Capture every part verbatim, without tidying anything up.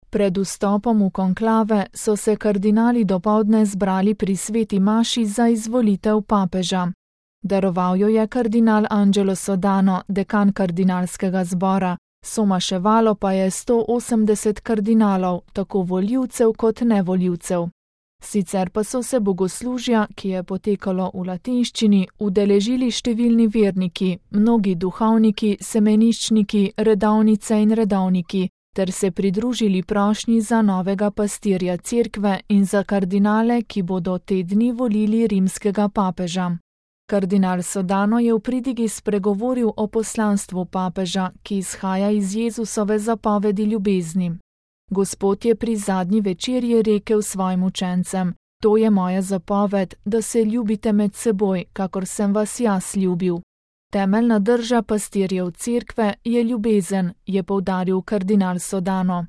Pred vstopom v konklave so se kardinali dopoldne zbrali pri sveti maši za izvolitev papeža. Daroval jo je kardinal Angelo Sodano, dekan kardinalskega zbora, somaševalo pa je sto osemdeset kardinalov, tako volivcev kot nevolivcev. Sicer pa so se bogoslužja, ki je potekalo v latinščini, udeležili številni verniki, mnogi duhovniki, semeniščniki, redovnice in redovniki, ter se pridružili prošnji za novega pastirja cerkve in za kardinale, ki bodo te dni volili rimskega papeža. Kardinal Sodano je v pridigi spregovoril o poslanstvu papeža, ki izhaja iz Jezusove zapovedi ljubezni. Gospod je pri zadnji večerji rekel svojim učencem: To je moja zapoved, da se ljubite med seboj, kakor sem vas jaz ljubil. Temeljna drža pastirjev cerkve je ljubezen, je poudaril kardinal Sodano.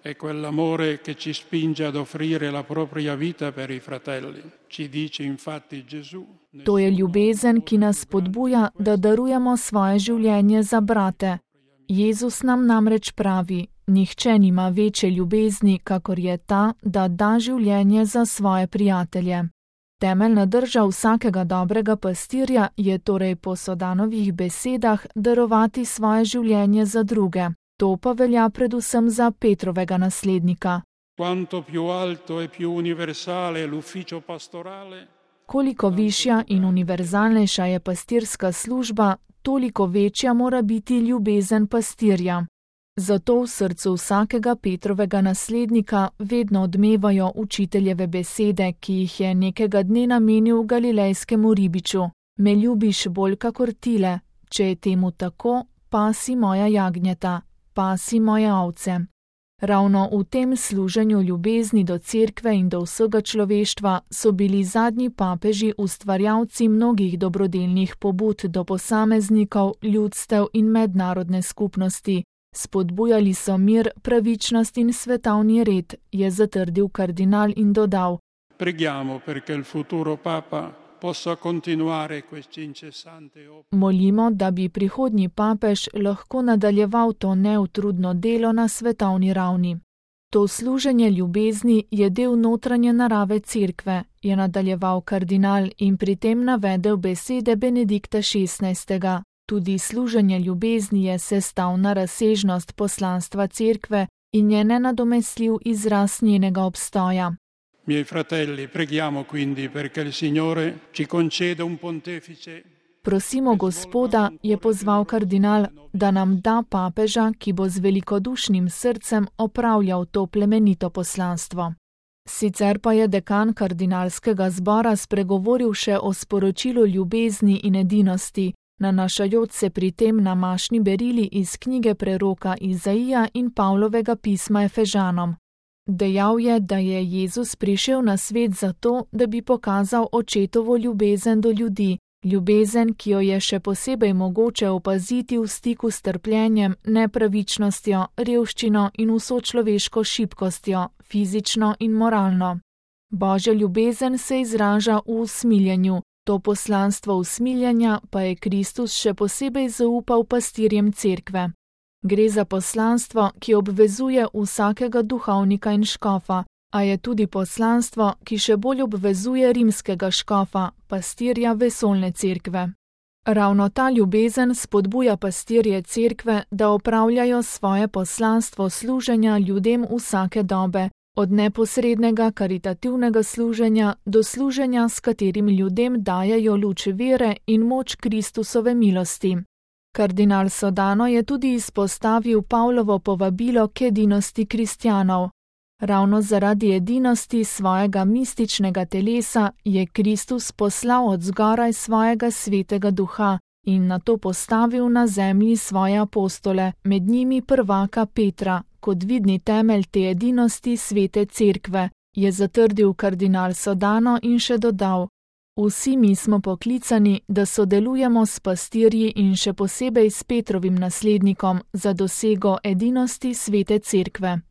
È quell'amore che ci spinge ad offrire la propria vita per i fratelli. Ci dice infatti Gesù. To je ljubezen, ki nas spodbuja, da darujemo svoje življenje za brate. Jezus nam namreč pravi: Nihče nima večje ljubezni, kakor je ta, da da življenje za svoje prijatelje. Temeljna drža vsakega dobrega pastirja je torej po Sodanovih besedah darovati svoje življenje za druge. To pa velja predvsem za Petrovega naslednika. Quanto più alto e più universale l'ufficio pastorale, Koliko višja in univerzalnejša je pastirska služba, toliko večja mora biti ljubezen pastirja. Zato v srcu vsakega Petrovega naslednika vedno odmevajo učiteljeve besede, ki jih je nekega dne namenil galilejskemu ribiču: Me ljubiš bolj kakor tile, če je temu tako, pasi moja jagnjeta, pasi moje ovce. Ravno v tem služenju ljubezni do cerkve in do vsega človeštva so bili zadnji papeži ustvarjalci mnogih dobrodelnih pobud do posameznikov, ljudstev in mednarodne skupnosti. Spodbujali so mir, pravičnost in svetovni red, je zatrdil kardinal in dodal: Preghiamo perché il futuro papa possa continuare questi incessante opere. Molimo, da bi prihodnji papež lahko nadaljeval to neutrudno delo na svetovni ravni. To služenje ljubezni je del notranje narave cerkve, je nadaljeval kardinal in pri tem navedel besede Benedikta šestnajstega. Tudi služenje ljubezni je sestavna razsežnost poslanstva cerkve in je nenadomestljiv izraz njenega obstoja. Miei fratelli, preghiamo quindi perché il Signore ci conceda un pontefice. Prosimo Gospoda, je pozval kardinal, da nam da papeža, ki bo z velikodušnim srcem opravljal to plemenito poslanstvo. Sicer pa je dekan kardinalskega zbora spregovoril še o sporočilu ljubezni in edinosti, nanašajoč se pri tem na mašni berili iz knjige preroka Izaija in Pavlovega pisma Efežanom. Dejal je, da je Jezus prišel na svet zato, da bi pokazal očetovo ljubezen do ljudi, ljubezen, ki jo je še posebej mogoče opaziti v stiku s trpljenjem, nepravičnostjo, revščino in vso človeško šibkostjo, fizično in moralno. Božja ljubezen se izraža v usmiljenju, to poslanstvo usmiljanja pa je Kristus še posebej zaupal pastirjem cerkve. Gre za poslanstvo, ki obvezuje vsakega duhovnika in škofa, a je tudi poslanstvo, ki še bolj obvezuje rimskega škofa, pastirja vesoljne cerkve. Ravno ta ljubezen spodbuja pastirje cerkve, da opravljajo svoje poslanstvo služenja ljudem vsake dobe, od neposrednega karitativnega služenja do služenja, s katerim ljudem dajejo luč vere in moč Kristusove milosti. Kardinal Sodano je tudi izpostavil Pavlovo povabilo k edinosti kristjanov. Ravno zaradi edinosti svojega mističnega telesa je Kristus poslal od zgoraj svojega svetega duha in nato postavil na zemlji svoje apostole, med njimi prvaka Petra, kot vidni temelj te edinosti svete cerkve, je zatrdil kardinal Sodano in še dodal: Vsi mi smo poklicani, da sodelujemo s pastirji in še posebej s Petrovim naslednikom za dosego edinosti svete cerkve.